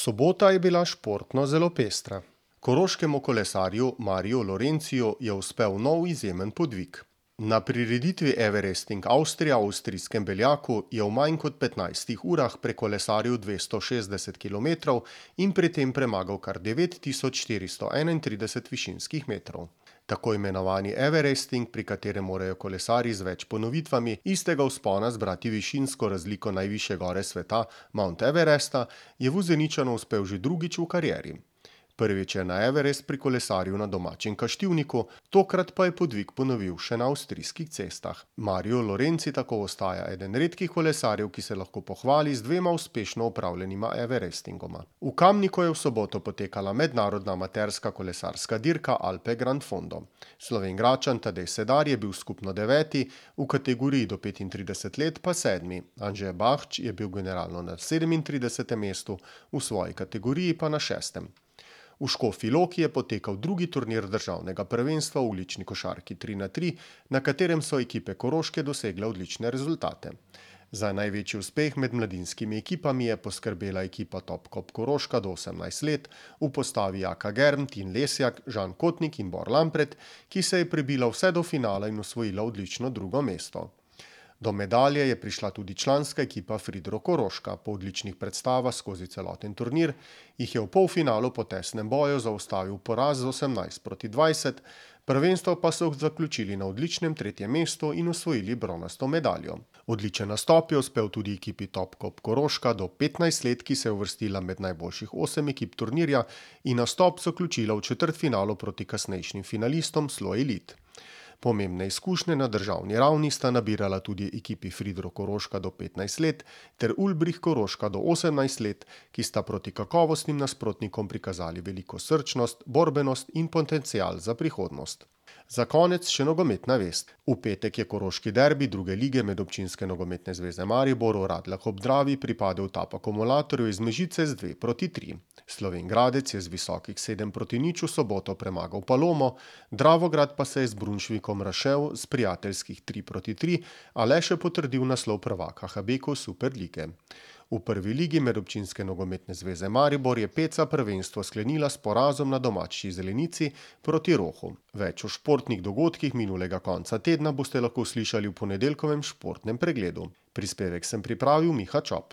Sobota je bila športno zelo pestra. Koroškemu kolesarju Mariu Lorenciju je uspel nov izjemen podvig. Na prireditvi Everesting Avstrija v avstrijskem Beljaku je v manj kot 15 urah prekolesaril 260 km in pri tem premagal kar 9431 višinskih metrov. Tako imenovani Everesting, pri katerem morajo kolesarji z več ponovitvami istega vzpona zbrati višinsko razliko najvišje gore sveta, Mount Everesta, je Vuzeničanu uspel že drugič v karieri. Prvič je na Everest prikolesaril na domačem Kaštivniku, tokrat pa je podvig ponovil še na avstrijskih cestah. Mario Lorenzi tako ostaja eden redkih kolesarjev, ki se lahko pohvali z dvema uspešno opravljenima Everestingoma. V Kamniku je v soboto potekala mednarodna amaterska kolesarska dirka Alpe Grand Fondo. Slovenjgradčan Tadej Sedar je bil skupno 9., v kategoriji do 35 let pa 7. Anže Bahč je bil generalno na 37. mestu, v svoji kategoriji pa na 6. V Škofji Loki je potekal drugi turnir državnega prvenstva v ulični košarki 3x3, na katerem so ekipe Koroške dosegle odlične rezultate. Za največji uspeh med mladinskimi ekipami je poskrbela ekipa Topkop Koroška do 18 let v postavi Jaka Germ, Tin Lesjak, Žan Kotnik in Bor Lampret, ki se je prebila vse do finala in osvojila odlično drugo mesto. Do medalje je prišla tudi članska ekipa Fridro Koroška. Po odličnih predstavah skozi celoten turnir jih je v polfinalu po tesnem boju zaustavil poraz z 18-20, prvenstvo pa so zaključili na odličnem 3. mestu in osvojili bronasto medaljo. Odličen nastop je uspel tudi ekipi Topkop Koroška do 15 let, ki se je uvrstila med najboljših 8 ekip turnirja in nastop zaključila v četrtfinalu proti kasnejšim finalistom Slo Elite. Pomembne izkušnje na državni ravni sta nabirala tudi ekipi Fridro Koroška do 15 let ter Ulbrich Koroška do 18 let, ki sta proti kakovostnim nasprotnikom prikazali veliko srčnost, borbenost in potencial za prihodnost. Za konec še nogometna vest. V petek je koroški derbi druge lige med občinske nogometne zveze Maribor v Radljah ob Dravi pripadel TAP akumulatorju iz Mežice z 2-3. Slovenjgradec je z visokih 7-0 v soboto premagal Palomo, Dravograd pa se je z Brunšvikom razšel z prijateljskih 3-3, a le še potrdil naslov prvaka HBK Superlige. V prvi ligi medobčinske nogometne zveze Maribor je Peca prvenstvo sklenila s porazom na domači Zelenici proti Rohu. Več o športnih dogodkih minulega konca tedna boste lahko slišali v ponedeljkovem športnem pregledu. Prispevek sem pripravil Miha Čop.